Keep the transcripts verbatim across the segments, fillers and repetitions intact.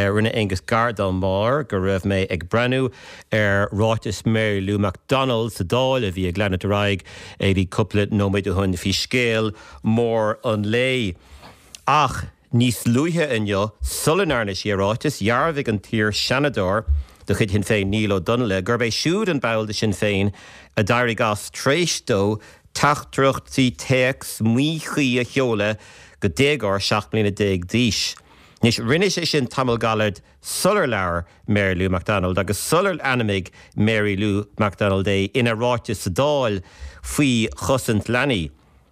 Rinne Aengus gar dá mbarr go raibh mé ag breathnú ar ráiteas Mary Lou McDonald sa Dáil a bhí ag leanacht ar aghaidh ag cúpla nóiméad ó shin faoi scéal mór an lae. Ach níos luaithe inniu sula ndearna sí a ráiteas dhearbhaigh an t-iar-Sheanadóir de chuid Shinn Féin Niall Ó Donnaile, gurb é siúd an ball de Shinn Féin a d'éirigh as tar éis dó teachtaireachtaí téacs míchuí a sheoladh go déagóir seacht mbliana déag d'aois. Anois rinne sé sin tamall gairid sular labhair Mary Lou McDonald agus sular ainmnigh Mary Lou McDonald é ina ráiteas sa Dáil faoi chosaint leanaí.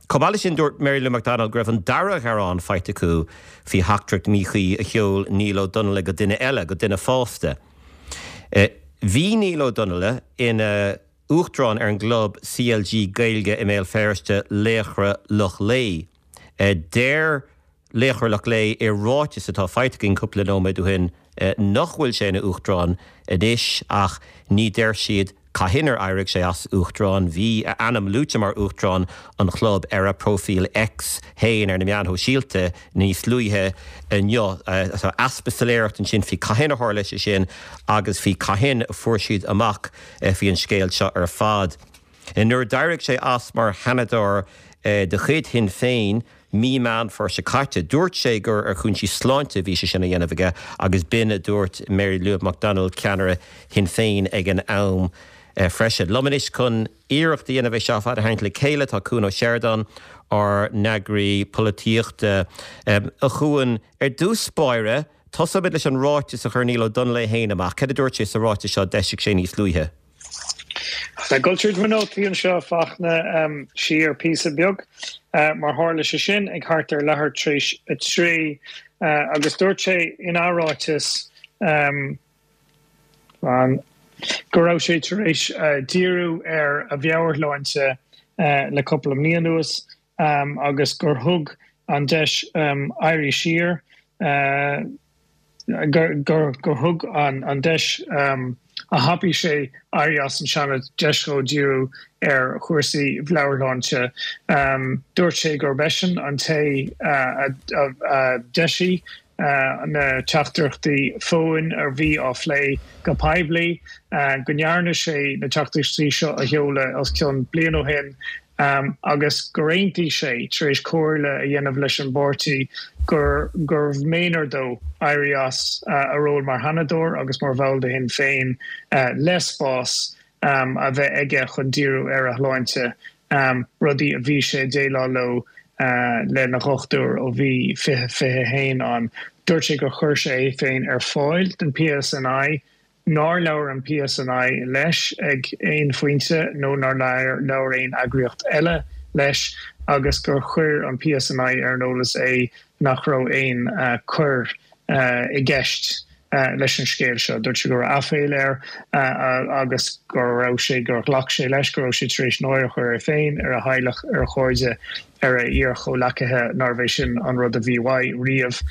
Chomh maith leis sin dúirt Mary Lou McDonald go raibh an dara gearán faighte acu faoi theachtaireacht mhíchuí a sheol Niall Ó Donnaile go duine eile go duine fásta. Bhí Niall Ó Donnaile ina uachtarán ar an gclub CLG Gaeilge i mBéal Feirste Laochra Loch Lao. Deir Laochra Loch Lao i ráiteas atá faighte againn cúpla nóiméad ó shin nach bhfuil sé ina uachtarán anois ach ní deir siad cathain ar éirigh sé as uachtarán bhí a ainm luaite mar uachtarán an chlub ar a profil X féin ar na meáin shóisialta níos luaithe inniu easpa soiléireacht ansin faoi cathain a tharla sé sin agus faoi cathain a fuair siad amach faoi an scéal seo ar fad. Nuair d'éirigh sé as mar Sheanadóir de chuid Shinn Féin, mí Meán Fómhair seo caite. Dúirt sé gur ar chúinsí sláinte bhí sé sin a dhéanamh aige agus b'in a dúirt Mary Lou McDonald ceannaire Shinn Féin ag an am freisin. Liom anois chun iarracht a dhéanamh é seo fad a tharraingt le chéile tá Cuan Ó Seireadáin ár n-eagraí polaitíochta a Chuain ar dtús báire, Tosóimid leis an ráiteas a chuir Niall Ó Donnaile féin amach, cad a dúirt sé sa ráiteas seo d'eisigh sé níos luaithe. Ag dul tríd mo nótaí anseo a Fachtna siar píosa beag mar tharla sé sin ag thart ar leathuair tar éis a trí agus dúirt sé ina ráiteas go raibh sé tar éis díriú ar a mheabhairshláinte le cúpla mí anuas agus gur thug an deis éirí siar gur thug an deis a thapaigh sé éirí as an Seanad deis dó díriú ar chúrsaí meabhairshláinte. Dúirt sé gurb eisean an té a d'eisigh na teachtaireachtaí fóin a bhí á phlé go poiblí, go ndearna sé na teachtaireachtaí seo a sheoladh os cionn bliain ó shin agus gur aontaigh sé, tar éis comhairle a dhéanamh leis an bpáirtí, gur gurbh méanar dó éirí as a ról mar Sheanadóir agus mar bhall de Shinn Féin le spás a bheith aige chun díriú ar a shláinte, rudaí a bhí sé ag déileáil leo lena dhochtúir ó bhí fiche fiche a haon ann. Dúirt sé gur chuir sé é féin ar fáil don PSNI, nár labhair an PSNI leis ag aon phointe nó nár labhair aon eagraíocht eile leis agus gur chuir an PSNI ar an eolas é nach raibh aon choir i gceist leis an scéal seo. Dúirt sé go raibh aiféala air agus go raibh sé gur ghlac sé leis go raibh sé tar éis náire a chur air féin, ar a theaghlach, ar a chairde, ar a iar-chomhleacaithe, nárbh é sin an rud a bhí uaidh riamh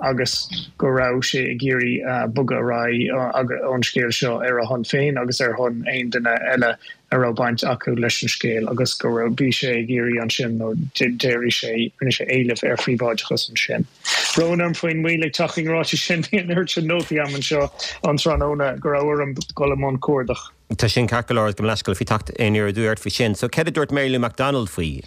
agus go raibh sé ag iarraidh bogadh ar aghaidh ón scéal seo ar a shon féin agus ar shon aon duine eile a raibh baint acu leis an scéal agus go raibh bhí sé ag iarraidh ansin nó d'éirigh sé rinne sé éileamh ar phríobháideachas ansin. Brón orm faoin moill ag teacht chuig an ráiteas sin, bhí an oiread sin nótaí agam anseo an tráthnóna go raibh orm dul i mbun cuardach. Tá sin ceart go leor, gabh mo leithscéal faoi teacht aniar aduaidh ort faoi sin. So céard a dúirt Mary Lou McDonald faoi?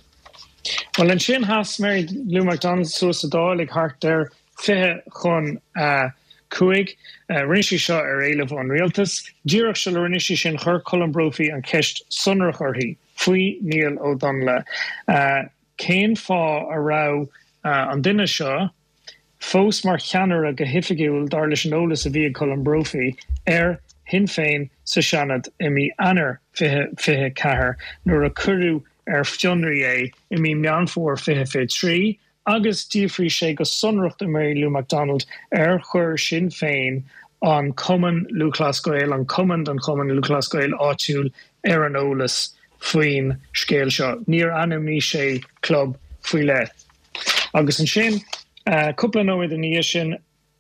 Bhuel ansin sheas Mary Lou McDonald suas sa Dáil ag thart ar fiche chun a cúig. Rinne sí seo ar éileamh ón rialtas. Díreach sula rinne sí sin chuir Colm Brophy an cheist sonrach uirthi faoi Niall Ó Donnaile, cén fáth a raibh an duine seo fós mar cheannaire go hoifigiúil, dar leis an eolas a bhí ag Colm Brophy, ar Shinn Féin sa Seanad i mí Eanáir fiche fiche ceathair nuair a cuireadh ar fionraí é i mí Meán Fómhair fiche fiche trí agus d'fhiafraigh sé go sonrach de Mary Lou McDonald ar chuir Sinn Féin an Cumann Lúthchleas Gael, an cumann don Chumann Lúthchleas Gael áitiúil ar an eolas faoin scéal seo. Níor ainmnigh sé club faoi leith. Agus ansin, cúpla nóiméad ina dhiaidh sin,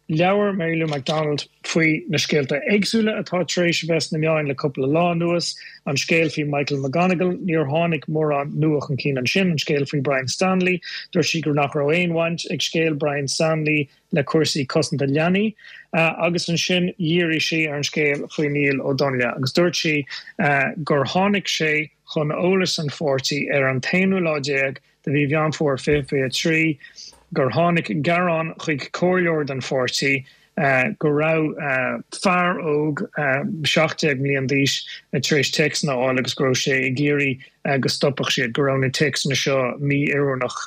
Labhair Mary Lou McDonald faoi. faoi na scéalta éagsúla atá tar éis a bheith sna meáin le cúpla lá anuas, an scéal faoi Michael McGonigal, níor tháinig mórán nua chun cinn ansin, an scéal faoi Brian Stanley, dúirt sí gur nach raibh aon bhaint ag scéal Brian Stanley le cúrsaí cosanta leanaí, agus ansin dhírigh sí ar an scéal faoi Niall Ó Donnaile agus dúirt sí gur tháinig sé chun eolas an pháirtí ar an t-aonú lá déag de mhí Mheán Fómhair fiche fiche a trí gur tháinig gearán chuig comhairleoir den pháirtí go raibh fear óg seacht déag mbliain d'aois tar éis téacsanna a fháil agus go raibh sé ag iarraidh go stopfadh siad, go raibh na téacsanna seo mí-oiriúnach.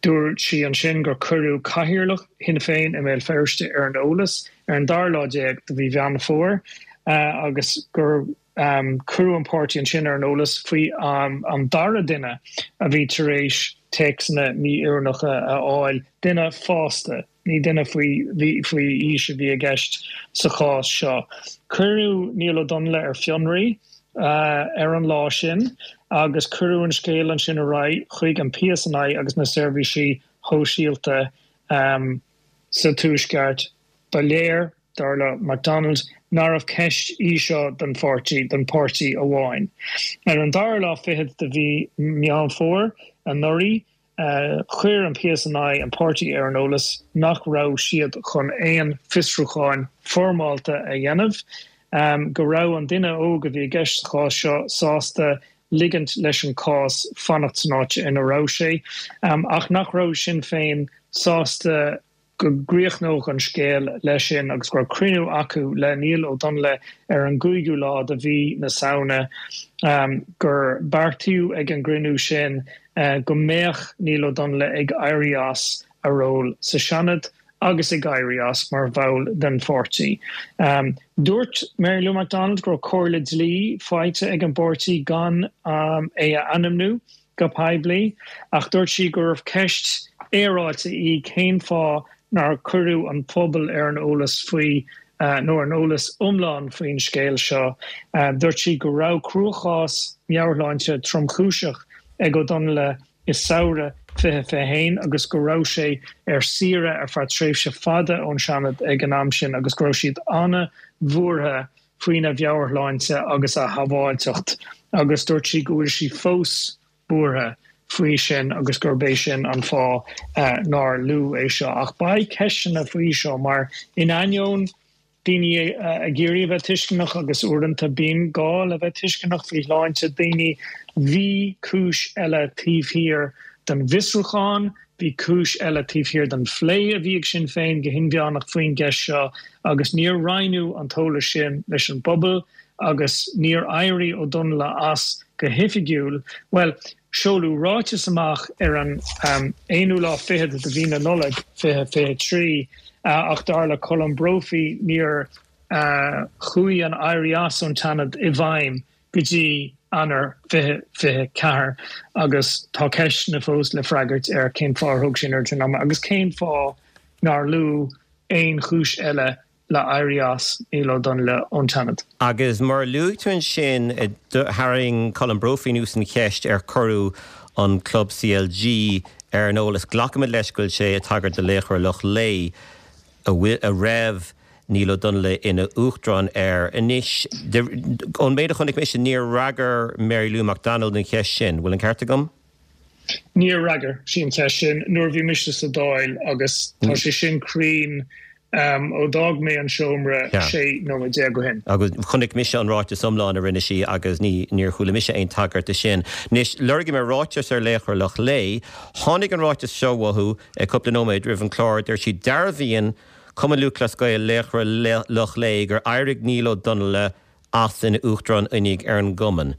Dúirt sí ansin gur cuireadh cathaoirleach Shinn Féin i mBéal Feirste ar an eolas ar an dara lá déag de mhí Mheán Fómhair agus gur cuireadh an páirtí ansin ar an eolas faoi an dara duine a bhí tar éis téacsanna mí-oiriúnacha a fháil, duine fásta, ní duine faoi faoi aois a bhí i gceist sa chás seo. Cuireadh Niall Ó Donnaile ar fionraí ar an lá sin agus cuireadh an scéal ansin ar aghaidh chuig an PSNI agus na seirbhísí shóisialta sa Tuaisceart. Ba léir, dar le McDonald, nárbh ceist í seo don pháirtí, don pháirtí amháin. Ar an dara lá fichead de mhí Meán Fómhair anuraidh, chuir an PSNI an páirtí ar an eolas nach raibh siad chun aon fiosrúcháin foirmeálta a dhéanamh, go raibh an duine óg a bhí i gceist sa chás seo sásta ligint leis an cás fanacht san áit ina raibh sé, ach nach raibh Sinn Féin sásta go gcríochnódh an scéal leis sin agus go raibh cruinniú acu le Niall Ó Donnaile ar an gcúigiú lá de mhí na Samhna, gur beartaíodh ag an gcruinniú sin go mbeadh Niall Ó Donnaile ag éirí as a ról sa Seanad agus ag éirí as mar bhall den pháirtí. Dúirt Mary Lou McDonald go raibh comhairle dlí faighte ag an bpáirtí gan é a ainmniú go poiblí ach dúirt sí gurbh ceist fhéaráilte í cén fáth nár cuireadh an pobal ar an eolas faoi nó ar an eolas iomlán faoin scéal seo. Dúirt sí go raibh cruachás meabhairshláinte tromchúiseach ag Ó Donnaile i samhradh fiche fiche haon agus go raibh sé ar saoire ar feadh tréimhse fada ón Seanad ag an am sin agus go raibh siad an-bhuartha faoina mheabhairshláinte agus a shábháilteacht agus dúirt sí go bhfuil sí fós buartha faoi sin agus gurb é sin an fáth nár luadh é seo. Ach beidh ceisteanna faoi seo mar in ainneoin daoine ag iarraidh a bheith tuisceanach agus uaireanta bíonn gá le bheith tuisceanach faoi shláinte daoine, bhí cúis eile taobh thiar den bhfiosrúchán, bhí cúis eile taobh thiar den phlé a bhí ag Sinn Féin go hinmheánach faoin gceist seo agus níor roinneadh an t-eolas sin leis an bpobal agus níor éirigh Ó Donnaile as go hoifigiúil, bhuel, seoladh ráiteas amach ar an aonú lá fichead de mhí na Nollag fiche fiche trí ach dar le Colm Brophy níor chuaigh an éirí as ón tSeanad i bhfeidhm go dtí Eanáir fiche fiche ceathair agus tá ceisteanna fós le freagairt ar cén fáth ar thóg sé an oiread sin ama agus cén fáth nár luadh aon chúis eile le éirí as Niall Ó Donnaile ón tSeanad. Agus mar a luaigh tú ansin, tharraing Colm Brophy anuas an cheist ar cuireadh an club CLG ar an eolas. Glacaimid leis go bhfuil sé ag tagairt do Laochra Loch Lao, a raibh Niall Ó Donnaile ina uachtarán air. Anois, ón méid a chonaic mise, níor fhreagair Mary Lou McDonald an cheist sin. Bhfuil an ceart agam? Níor fhreagair sí an cheist sin nuair a bhí mise sa Dáil agus tá sé sin cruinn ó d'fhág mé an seomra sé nóiméad déag ó shin. Agus chonaic mise an ráiteas iomlán a rinne sí agus ní níor chuala mise aon tagairt de sin. Anois, lorgaigh mé ráiteas ar Laochra Loch Lao. Tháinig an ráiteas seo uathu cúpla nóiméad roimh an chlár. Deir siad, Dearbhaíonn Cumann Lúthchleas Gael Laochra Loch Lao gur éirigh Niall Ó Donnaile as ina Uachtarán Oinigh ar an gcumann.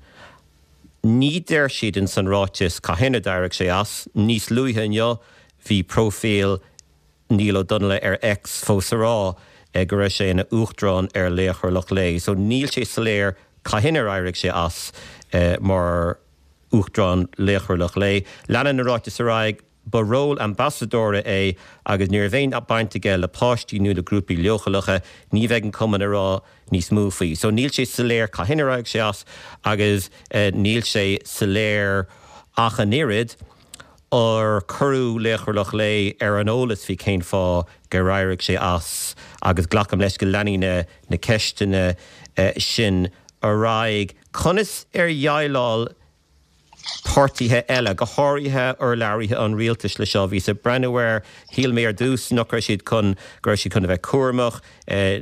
Ní deir siad in san ráiteas cathain a d'éirigh sé as. Níos luaithe inniu bhí próifíl Niall Ó Donnaile ar X fós ag rá go raibh sé ina Uachtarán ar Laochra Loch Lao. So níl sé soiléir cathain ar éirigh sé as mar Uachtarán Laochra Loch Lao. Leanann an ráiteas ar aghaidh, Ba ról ambasadóra é agus ní raibh aon baint aige le páistí nó le grúpaí leochaileacha. Ní bheidh an cumann ag rá níos mó faoi. So níl sé soiléir cathain ar éirigh sé as agus níl sé soiléir ach an oiread Ar cuireadh Laochra Loch Lao ar an eolas faoi cén fáth gur éirigh sé as agus glacaim leis go leanfaidh na na ceisteanna sin ar aghaidh. Conas ar dhéileáil páirtithe eile, go háirithe urlabhraithe an rialtais le seo. Bhíos ag breathnú air, shíl mé ar dtús nach raibh siad chun, go raibh siad chun a bheith cúramach.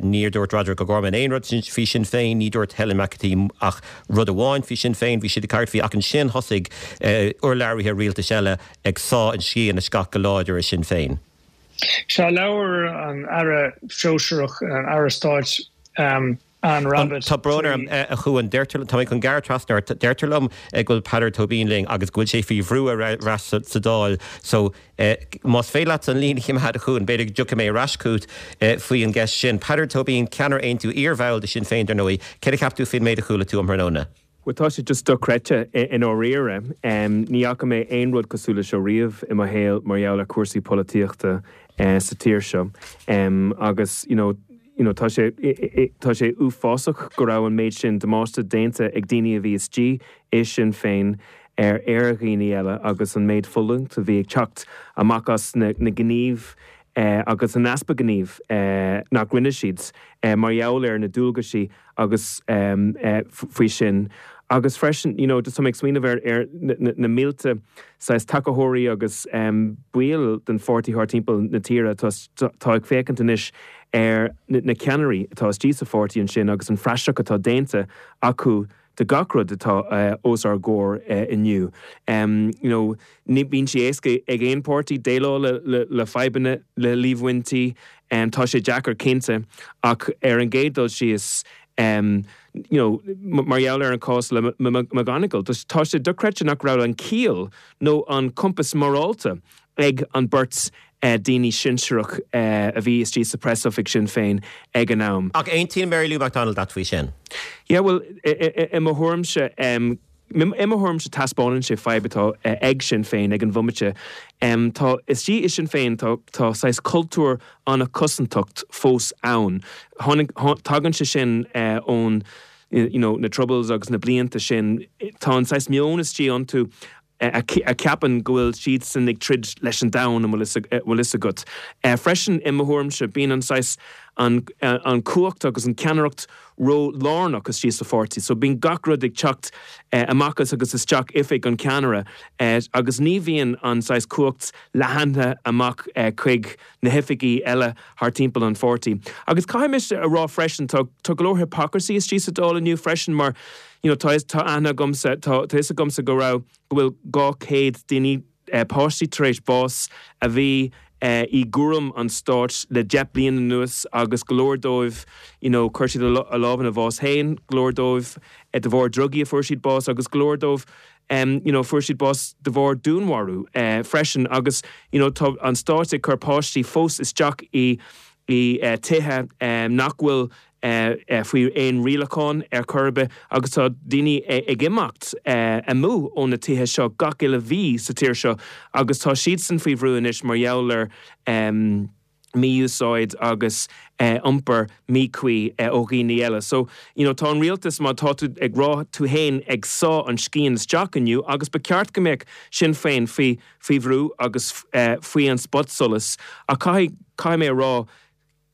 Níor dúirt Roderic O'Gorman aon rud faoi Sinn Féin, ní dúirt Helen McEntee ach rud amháin faoi Sinn Féin, bhí siad ag caint faoi ach ansin thosaigh urlabhraithe rialtais eile ag sá an scian isteach go láidir i Sinn Féin. Sea, labhair an Aire Sóisearach, an Aire Stáit, Anne Rabbitte. Tá brón orm, a Chuain, deirtear, tá mé chun gearradh trasna ort, deirtear liom go bhfuil Peadar Tóibín linn agus go bhfuil sé faoi bhrú ar ais sa Dáil so más féidir leat an líne a choimeád a Chuain, b'fhéidir go dtiocfaidh mé ar ais chugat faoi an gceist sin. Peadar Tóibín, ceannaire Aontú, iarbhall de Sinn Féin dar ndóigh, céard a cheap tú faoin méid a chuala tú um thráthnóna? Bhuel tá sé just dochreidte i ndáiríre. Ní fhaca mé aon rud cosúil leis seo riamh i mo shaol mar gheall ar chúrsaí polaitíochta sa tír seo. Agus you know, you know, tá sé tá sé uafásach go raibh an méid sin damáiste déanta ag daoine a bhí istigh i Sinn Féin ar ar dhaoine eile agus an méid fulaingt a bhí ag teacht amach as na, na gníomh eh, agus an easpa gnímh eh, nach rinne siad eh, mar gheall ar na dualgaisí agus um, eh, faoi sin. Agus freisin, you know, just tá mé ag smaoineamh ar, ar na, na, na mílte saghas tacaitheoirí agus um, baill den pháirtí thart timpeall na tíre tá, tá ag féachaint anois ar na, na ceannairí atá istigh sa pháirtí ansin agus an phraiseach atá déanta acu de gach rud atá uh, os ár gcomhair uh, inniu. Um, you know, ní bíonn sé éasca ag aon pháirtí déileáil le, le, le fadhbanna le líomhaintí, um, tá sé deacair cinnte ach ar an gcéad dul síos um, you know, mar gheall ar an cás le McGonigal, tá sé dochreidte nach raibh an ciall nó an compás morálta ag an beirt uh, daoine sinsearach uh, a bhí istigh sa preasoifig Sinn Féin ag an am. Ach aontaíonn Mary Lou McDonald leat faoi sin? Yeah, well, i mo thuairimse um, i mo thuairimse taispeánann sé fadhb atá ag Sinn Féin ag an bhomaite. Um, tá istigh i Sinn Féin tá, tá saghas cultúr an-chosantacht fós ann. Tagann sé sin uh, ón you know, na troubles agus na blianta sin tá an saghas meon istigh iontu a cheapann go bhfuil siad san ag troid leis an domhan an bhfuil fhios agat. Freisin i mo thuairimse bíonn an saghas an, an cumhacht agus an ceannaireacht ró-lárnach istigh sa pháirtí, so bíonn gach rud ag teacht amach as agus isteach oifig an ceannaire agus ní bhíonn an saghas cumhacht leathnaithe amach chuig na hoifigí eile thar timpeall an pháirtí. Agus caithfidh mise a rá freisin tá tá go leor hypocrisy istigh sa Dáil inniu freisin mar you know, tá tá aithne agamsa tá tá fhios agamsa go raibh go bhfuil dhá chéad daoine eh, páistí tar éis bás a bhí eh, i gcúram an stáit le deich bliana anuas agus go leor dóibh you know, chuir siad a lámh ina bhás féin, go leor dóibh eh, de bharr drugaí a fuair siad bás agus go leor dóibh um, you know, fuair siad bás de bharr dúnmharú eh, freisin agus you know, tá an stáit ag cur páistí fós isteach i i uh, tithe um, nach bhfuil uh, uh, faoi aon rialachán ar chor ar bith agus tá daoine ag imeacht uh, amú ó na tithe seo gach uile mhí sa tír seo agus tá siadsan faoi bhrú anois mar gheall ar um, mí-úsáid agus uh, iompar míchuí uh, ó dhaoine eile. So you know, tá an rialtas má tá tú ag rá tú féin ag sá an scian isteach inniu agus ba cheart go mbeadh Sinn Féin faoi faoi bhrú agus uh, faoi an spotsolas a caithfidh caithfidh mé a rá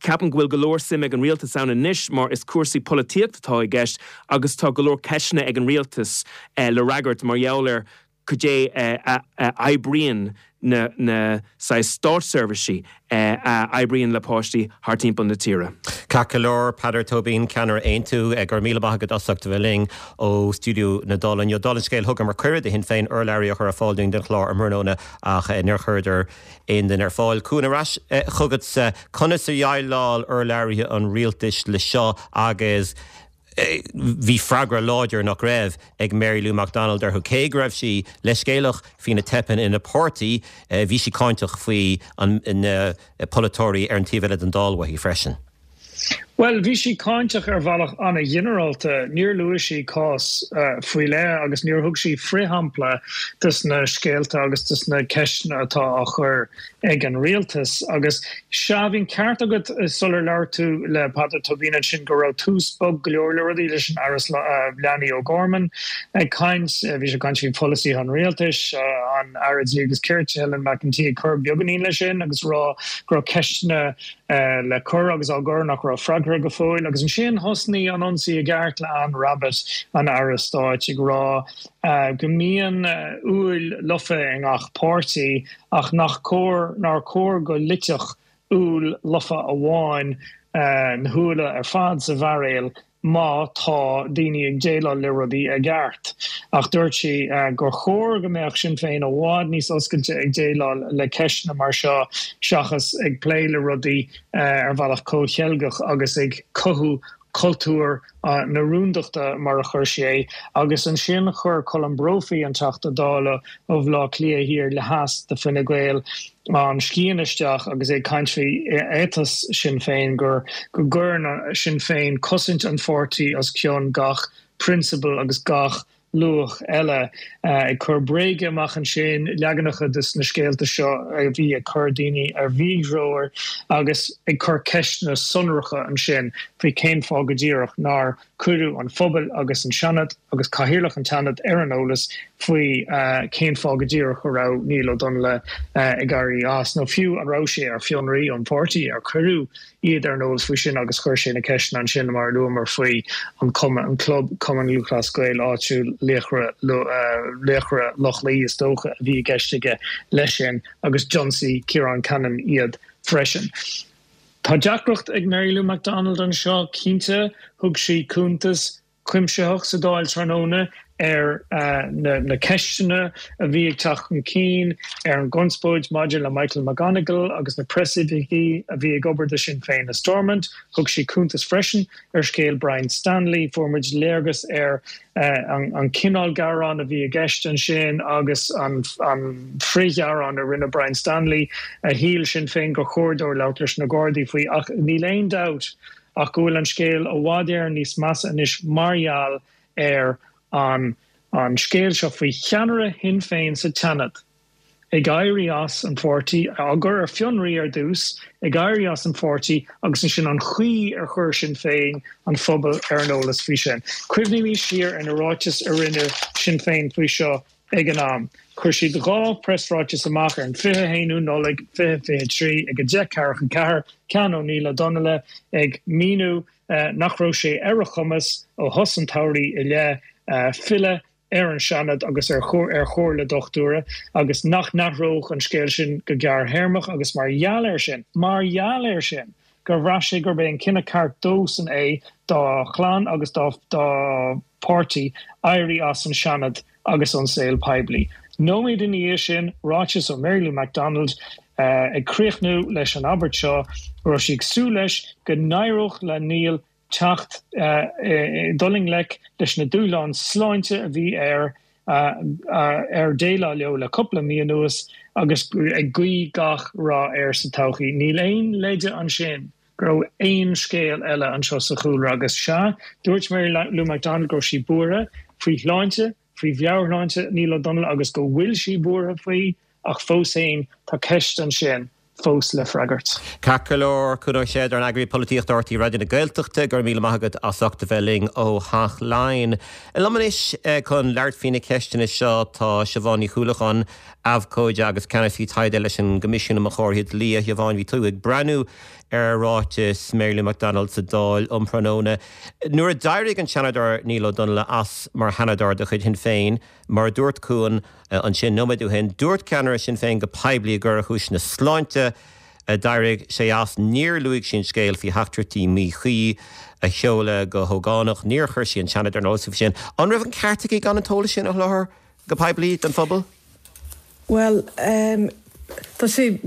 Ceapaim go bhfuil go leor suim ag an rialtas ann anois mar is cúrsaí polaitíochta atá i gceist agus tá go leor ceisteanna ag an rialtas eh, le freagairt mar gheall ar cad é eh, a, a oibríonn na, na saghas státseirbhísí eh, a oibríonn le páistí thar timpeall na tíre. Ceart go leor Peadar Tóibín ceannaire Aontú go raibh míle maith agat as ucht a bheith linn ó stiúideo na Dála inniu. Dála an scéil thugamar cuireadh do Shinn Féin urlabhraí a chur ar fáil dúinn don chlár um thráthnóna ach níor chuireadar aon duine ar fáil. Cuan ar ais chugatsa conas a dhéileáil urlabhraithe an rialtais le seo agus bhí freagra láidir nach raibh ag Mary Lou McDonald orthu cé go raibh sí leithscéalach faoi na teipeanna ina páirtí, bhí sí cáinteach faoi na polaiteoirí ar an taobh eile den Dáil uaithi freisin. Bhuel, bhí sí cáinteach ar bhealach an-ghinearálta. Níor luaigh sí cás faoi leith agus níor thug sí frithshampla dos na scéalta agus dos na ceisteanna atá á chur ag an rialtas. Agus sea, bhí an ceart agat sular labhair tú le Peadar Tóibín ansin go raibh tús bog go leor le rudaí leis an Aire Leanaí O'Gorman ag caint, bhí sé ag caint faoi pholasaithe an rialtais, an Aire Dlí agus Cirt Helen McEntee ag cur beagáinín leis sin agus rá go raibh ceisteanna le cur agus á gcur nach raibh freagartha go fóill. Agus ansin thosnaigh an ionsaí i gceart le Anne Rabbitte, an Aire Stáit, ag rá go mbíonn úill lofa i ngach páirtí ach nach cóir nár chóir go loitfeadh úll lofa amháin na húlla ar fad sa bhairéal má tá daoine ag déileáil le rudaí i gceart. Ach dúirt sí gur chóir go mbeadh Sinn Féin i bhfad níos oscailte ag déileáil le ceisteanna mar seo seachas ag plé le rudaí ar bhealach comhcheilgeach agus ag cothú cultúr na rúndachta mar a chuir sí é. Agus ansin chuir Colm Brophy, an Teachta Dála ó Bhaile Átha Cliath Thiar le Theas do Fine Gael, an scian isteach agus é ag caint faoi éiteas Sinn Féin gur go gcuireann Sinn Féin cosaint an pháirtí os cionn gach prionsabal agus gach luach eile. Ag cur bréige amach ansin, leaganacha de na scéalta seo a bhí ag cur daoine ar mhíthreoir agus ag cur ceisteanna sonracha ansin faoi cén fáth go díreach nár cuireadh an phobal agus an Seanad agus Cathaoirleach an tSeanaid ar an eolas faoi cén fáth go díreach a raibh Niall Ó Donnghaile ag éirí as, nó fiú an raibh sé ar fionraí ón pháirtí, ar cuireadh iad ar an eolas faoi sin agus chuir sé na ceisteanna ansin mar a luamar faoi an cumann, an club Cumann Lúthchleas Gael áitiúil Laochra Laochra Loch Lao is dócha a bhí i gceist aige leis sin agus d'ionsaigh Ciarán Cannon iad freisin. Tá deacracht ag Mary Lou McDonald anseo cinnte, thug sí cuntas cuimsitheach sa Dáil tráthnóna ar na ceisteanna a bhí ag teacht chun cinn, ar an gconspóid maidir le Michael McGonigal agus na preasoifigigh a bhí ag obair do Sinn Féin i Stormont. Thug sí cuntas freisin ar scéal Brian Stanley. Fuair muid léargas ar an cineál gearán a bhí i gceist ansin agus an frithghearán a rinne Brian Stanley a shíl Sinn Féin gur chóir dó labhairt leis na Gardaí faoi. Ach níl aon dabht ach go bhfuil an scéal i bhfad Éireann níos measa anois mar gheall ar an an scéal seo faoi cheannaire Shinn Féin sa tSeanad ag éirí as an pháirtí, á gcur ar fionraí ar dtús, ag éirí as an pháirtí agus ansin an chaoi ar chuir Sinn Féin an phobal ar an eolas faoi sin. Cuimhnímis siar ar na ráitis a rinne Sinn Féin faoi seo ag an am. Chuir siad dhá preasráiteas amach ar an fiche a haon Nollaig fiche fiche a trí ag a deich ceathracha a ceathair, ceann ó Niall Ó Donnghaile ag míniú nach raibh sé ar a chumas ó thús an tsamhraidh i leith filleadh ar an Seanad agus ar chomhairle dochtúra agus nach n-athródh an scéal sin go gearrthéarmach agus mar gheall air sin, mar gheall air sin, gur bhraith sé gurb é an cinneadh ceart dósan é, dá chlann agus dá pháirtí, éirí as an Seanad agus ón saol poiblí. Nóiméad ina dhiaidh sin, ráiteas ó Mary Lou McDonald ag críochnú leis an abairt seo, go raibh sí ag súil leis go n-éireodh le Niall teacht, dul i ngleic leis na dúshláin sláinte a bhí air ar déileáil leo le cúpla mí anuas agus ag guí gach rath air sa todhchaí. Níl aon leide ansin go raibh aon scéal eile anseo sa chúlra agus sea, dúirt Mary Lou McDonald go raibh sí buartha faoi shláinte, faoi mheabhairshláinte Niall Ó Donnghaile agus go bhfuil sí buartha faoi ach fós féin tá ceist ansin fós le freagairt. Ceart go leor, Cuan Ó Seideáin, Eagraí Polaitíochta R T Raidió na Gaeltachta, go raibh míle maith agat as ucht a bheith linn ó Theach Laighean. Liom anois chun labhairt faoi na ceisteanna seo tá Siobhán Ní Chuallacháin, abhcóide agus ceannasaí taighde leis an gCoimisiún um Chomharthaí Dlí. A Shiobhán, bhí tú ag breathnú ar ráiteas Mary Lou McDonald sa Dáil um thráthnóna. Nuair a d'éirigh an Seanadóir Niall Ó Donnghaile as mar Sheanadóir de chuid Shinn Féin, mar a dúirt Cuan ansin nóiméad ó shin, dúirt ceannaire Shinn Féin go poiblí gur ar chúiseanna sláinte a d'éirigh sé as. Níor luaigh sí an scéal faoi theachtaireachtaí míchuí a sheoladh go hógánach. Níor chuir sí an Seanad ar an eolas faoi sin. An raibh an ceart aici gan an t-eolas sin a sholáthar go poiblí don phobal? Bhuel, tá sé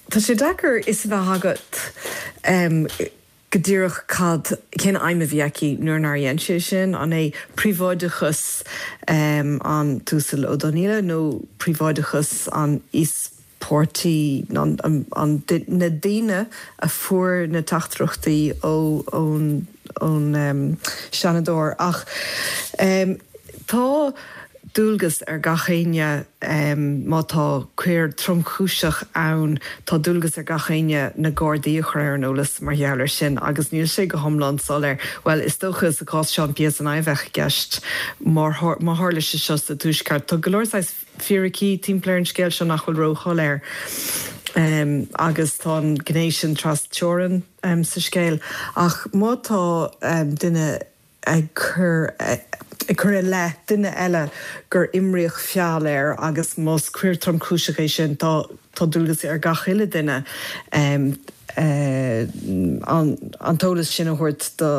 tá sé deacair fhios a bheith agat go díreach cad cén aidhm a bhí aici nuair nár dhein sé sin, an é príobháideachas an tUasal Ó Donnghaile nó príobháideachas an íospartaigh. páirtí an, an, an, na daoine a fuair na teachtaireachtaí ó ón ón um, Seanadóir ach um, tá dualgas ar gach éinne um, má tá coir tromchúiseach ann tá dualgas ar gach éinne na Gardaí a chur ar an eolas mar gheall air sin agus níl sé go hiomlán soiléir. Well is dócha sa cás seo PSNI a bheadh i gceist má tharla sé seo sa tuaisceart. Tá go leor fíricí timpeall ar an scéal seo nach bhfuil róshoiléir. Um, agus tá an gné sin trasteorann um, sa scéal ach má tá um, duine ag cur ag cur i leith duine eile gur imríodh feall air agus más coir tromchúiseach é sin tá tá dualgas ar gach uile duine um, uh, an, an t-eolas sin a thabhairt do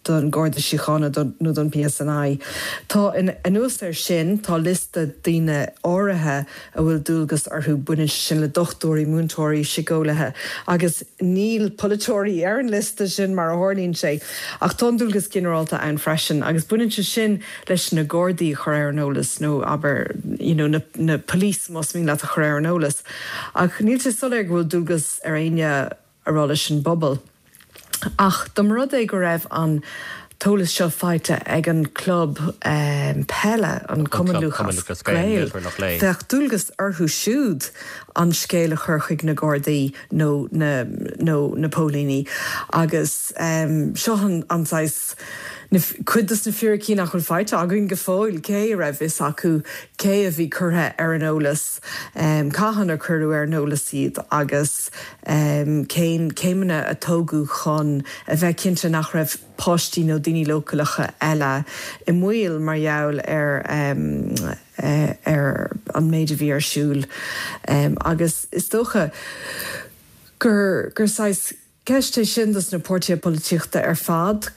don Garda Síochána nó don PSNI. Tá anuas air sin tá liosta daoine áirithe a bhfuil dualgas orthu baineann sin le dochtúirí múinteoirí síceolaithe agus níl polaiteoirí ar an liosta sin mar a tharlaíonn sé ach tá dualgas ginearálta ann freisin agus baineann sé sin leis na Gardaí chur ar an eolas nó abair you know, na, na police más mian leat a chur ar an eolas. Ach níl sé soiléir go bhfuil dualgas ar éinne a rá leis an bpobal. Ach dá mba rud é go raibh an t-eolas seo faighte ag an club um, peile an Cumann Lúthchleas Gael. Bheadh dualgas orthu siúd an scéal a chur chuig na Gardaí nó na, nó na póilíní. Agus um, seo an, an cuid de na fíricí nach bhfuil faighte againn go fóill cé a raibh fhios acu cé a bhí curtha ar an eolas um, cathain a cuireadh ar an eolas iad agus um, cén céimeanna a tógadh chun a bheith cinnte nach raibh páistí nó daoine leochaileacha eile i mbaol mar gheall ar um, uh, ar an méid a bhí ar siúl um, agus is dócha gur gur saghas ceist é sin dos na páirtithe polaitíochta ar fad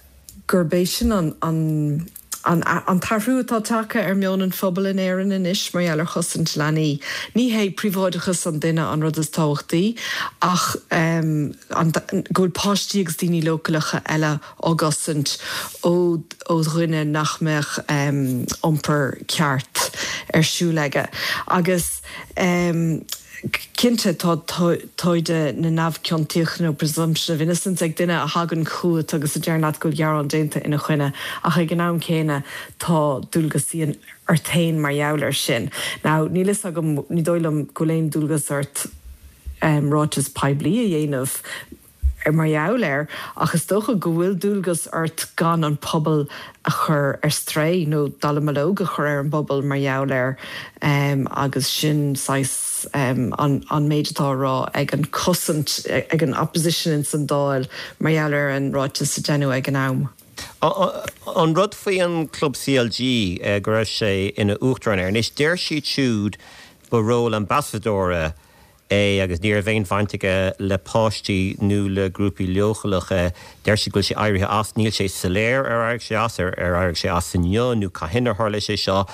gurb é sin an an an an t-athrú atá tagtha ar mheon an phobail in Éirinn anois mar gheall ar chosaint leanaí. Ní hé príobháideachas an duine an rud is tábhachtaí ach um, an, go bhfuil páistí agus daoine leochaileacha eile á gcosaint ó ó dhuine nach mbeadh um, iompar ceart ar siúl aige. Agus um, Cinnte tá toimhde na neamhchiontachta nó presumption of innocence ag duine a thagann chugat agus a deir leat go bhfuil gearán déanta ina choinne ach ag an am céanna tá dualgas ort féin mar gheall air sin. Now níl a fhios agam ní dóigh liom go bhfuil aon dualgas ort um, ráiteas poiblí a dhéanamh ar mar gheall air ach is dócha go bhfuil dualgas ort gan an pobal a chur ar strae nó dallamullóg a chur ar an bpobal mar gheall air um, agus sin saghas um, an, an méid atá á rá ag an cosaint ag an opposition in san Dáil mar gheall ar an ráiteas a déanadh ag an am. An rud faoi an club CLG eh, go raibh sé ina uachtarán air, anois deir siad siúd ba ról ambasadóra é agus ní raibh aon bhaint aige le páistí nó le grúpaí leochaileacha deir siad go bhfuil sé éirithe as níl sé soiléir ar éirigh sé as ar ar éirigh sé as inniu nó cathain a tharla sé seo.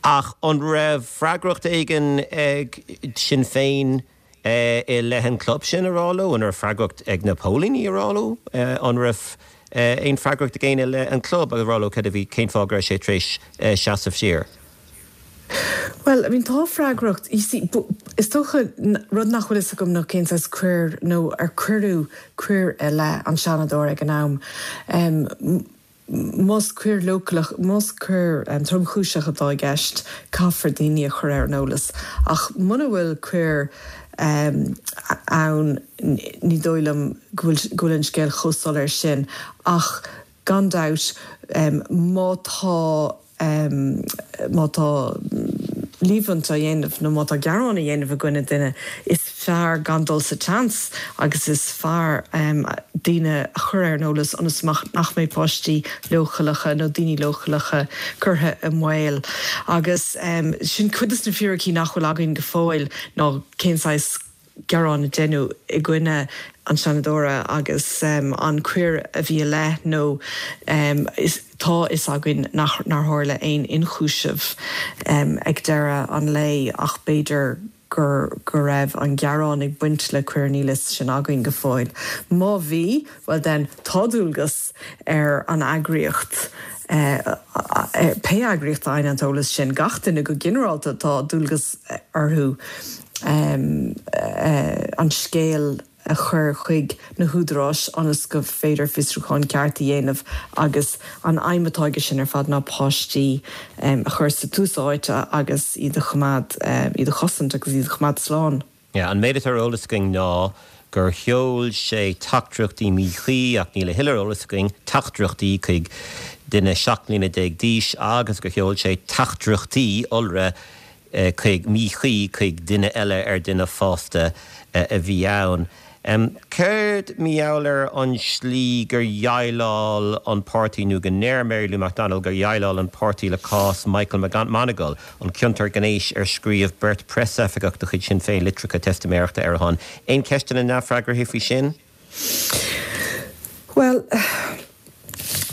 Ach an raibh freagracht éigin ag Sinn Féin eh, i leith an club sin a rá leo an raibh freagracht ag na póilíní a rá leo eh, an raibh eh, aon freagracht ag éinne le an club a rá leo cad a bhí cén fáth go raibh sé tar éis seasamh siar. Well, I mean tá freagracht you see, is dócha rud nach bhfuil a fhios agam ná cén saghas coir nó ar cuireadh coir i leith an Seanadóir ag an am. Um, Más coir leochaileach más coir um, tromchúiseach atá i gceist caithfear daoine a chur ar an eolas. Ach muna bhfuil coir um, ann ní dóigh liom go bhfuil an scéal chomh soiléir sin ach gan dabht um, má tá um, má tá líomhaint á dhéanamh nó má tá gearán á dhéanamh i gcoinne duine is fearr gan dul sa tseans agus is fearr um, daoine a chur ar an eolas ionas nach mbeidh páistí leochaileacha nó daoine leochaileacha curtha i mbaol. Agus um, sin cuid de na fíricí nach bhfuil againn go fóill ná cén saghas gearán a déanadh i gcoinne an Seanadóra agus um, an coir a bhí i leith nó um, is, tá a fhios againn nach nár tharla aon ionchúiseamh um, ag deireadh an lae ach b'fhéidir gur go raibh an gearán ag baint le coir níl a fhios sin againn go fóill. Má bhí, well then tá dualgas ar an eagraíocht eh, eh, pé eagraíocht a fhaigheann an t-eolas sin gach duine go ginearálta tá dualgas orthu um, uh, an scéal a chur chuig na húdaráis ionas go féidir fiosrúchán ceart a dhéanamh agus an aidhm atá aige sin ar fad ná páistí um, a chur sa tús áite agus iad a choimeád um, iad a chosaint agus iad a choimeád slán. Yeah, an méid atá ar eolas againn ná gur sheol sé teachtaireachtaí míchuí ach níl a thuilleadh ar eolas againn teachtaireachtaí chuig duine seacht mbliana déag d'aois agus gur sheol sé teachtaireachtaí iolra eh, chuig míchuí chuig duine eile ar duine fásta eh, a bhí ann. Um, Céard mar gheall ar an slí gur dhéileáil an páirtí nó go ndeir Mary Lou McDonald gur dhéileáil an páirtí le cás Michael Monagle an ciontóir gnéis ar scríobh beirt preasoifigeach de chuid Sinn Féin litreacha teistiméireachta ar a shon. Aon cheisteanna neamhfhreagartha faoi sin? Well,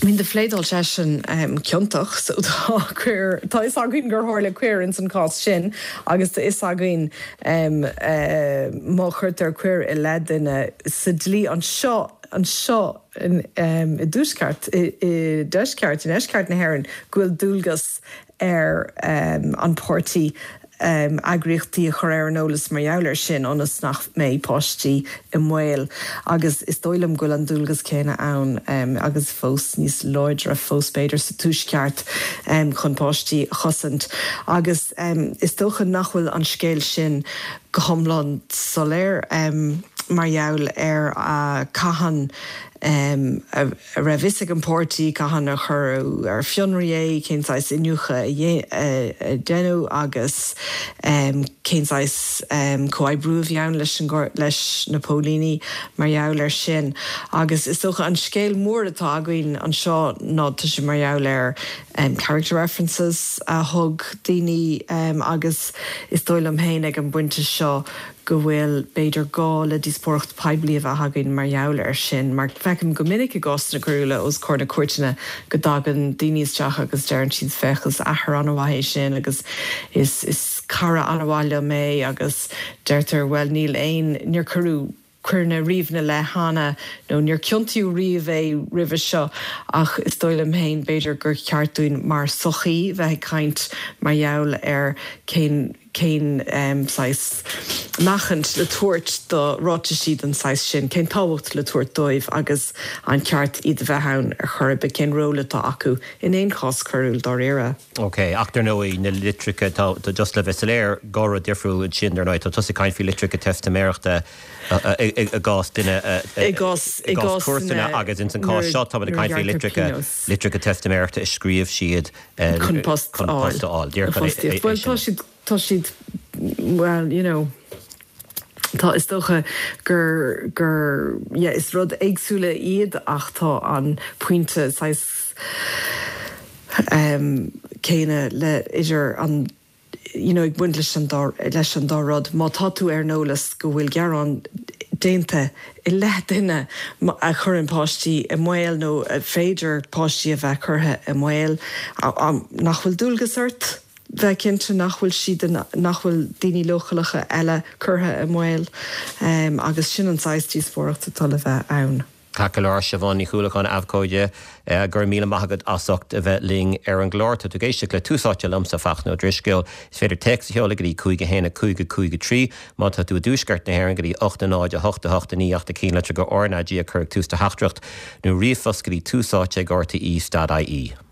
I mean, do phléadáil seisean um, ciontach so tá coir tá a fhios againn gur tharla coir in san cás sin agus tá a fhios againn um, uh, má chuirtear coir i leith duine sa dlí anseo anseo in, um, i dtuaisceart i, i deisceart i ndeisceart na hÉireann go bhfuil dualgas ar um, an páirtí um, eagraíochtaí a chur ar an eolas mar gheall air sin ionas nach mbeidh páistí i mbaol agus is dóigh liom go bhfuil an dualgas céanna ann um, agus fós níos láidre fós b'fhéidir sa tuaisceart um, chun páistí a chosaint agus um, is dócha nach bhfuil an scéal sin go hiomlán soiléir um, mar gheall ar uh, cathain um, a, a raibh a fhios ag an bpáirtí cathain a cuireadh ar fionraí é cén saghas iniúchadh a déanadh agus um, cén saghas um, comhoibriú a bhí ann leis an leis na póilíní mar gheall air sin. Agus is dócha an scéal mór atá againn anseo ná tá sé mar gheall ar um, character references a thug daoine um, agus is dóigh liom féin ag an bpointe seo go bhfuil b'fhéidir gá le díospóireacht poiblí a bheith againn mar gheall air sin, mar feicim go minic i gcásanna coiriúla os comhair na cúirteanna go dtagann daoine isteach agus deireann siad féach is athair an-mhaith é sin agus is, is cara an-mhaith liom é agus deirtear well níl aon níor cuireadh coir riamh ina leith cheana nó níor ciontaíodh riamh é roimhe seo ach is dóigh liom féin b'fhéidir gur cheart dúinn mar sochaí bheith ag caint mar gheall ar cén cén um, saghas meáchaint le tabhairt do ráitisí den saghas sin, cén tábhacht le tabhairt dóibh agus an ceart iad a bheith ann ar chor ar bith cén ról atá acu in aon chás coiriúil dáiríre. Ok, ach ar ndóigh na litreacha tá just le bheith soiléir dhá rud difriúil sin ar ndóigh tá tusa ag caint faoi litreacha teistiméireachta i gcás duine i gcás i gcás cúirteanna agus in san cás seo tá ag caint faoi litreacha litreacha teistiméireachta a scríobh siad chun post chun post a fháil. Well tá siad tá siad well you know tá is dócha gur gur yeah, is rud éagsúla iad ach tá an pointe saghas um, céanna le idir an you know, ag baint leis an dá leis an dá rud má tá tú ar an eolas go bhfuil gearán déanta i leith duine a chuireann páistí i mbaol nó féidir páistí a bheith curtha i mbaol nach bhfuil dualgas ort bheith cinnte nach bhfuil siad nach bhfuil daoine leochaileacha eile curtha i mbaol um, agus sin an saghas díospóireacht atá le bheith ann. Ceart go leor Siobhán Ní Chualáin abhcóide go raibh míle maith agat as ucht a bheith linn ar an gclár tá tú ag éisteacht le Tús Áite liomsa Fachtna Ó Drisceoil. Is féidir téacs a sheoladh go dtí cúig a haon a cúig a cúig a trí má tá tú i dtuaisceart na hÉireann go dtí ocht a náid a hocht a hocht a naoi ach do cheannlitir go RnaG a chur ag tús do theachtaireacht nó ríomhphost go dtí tús áite ag RTÉ dot IE.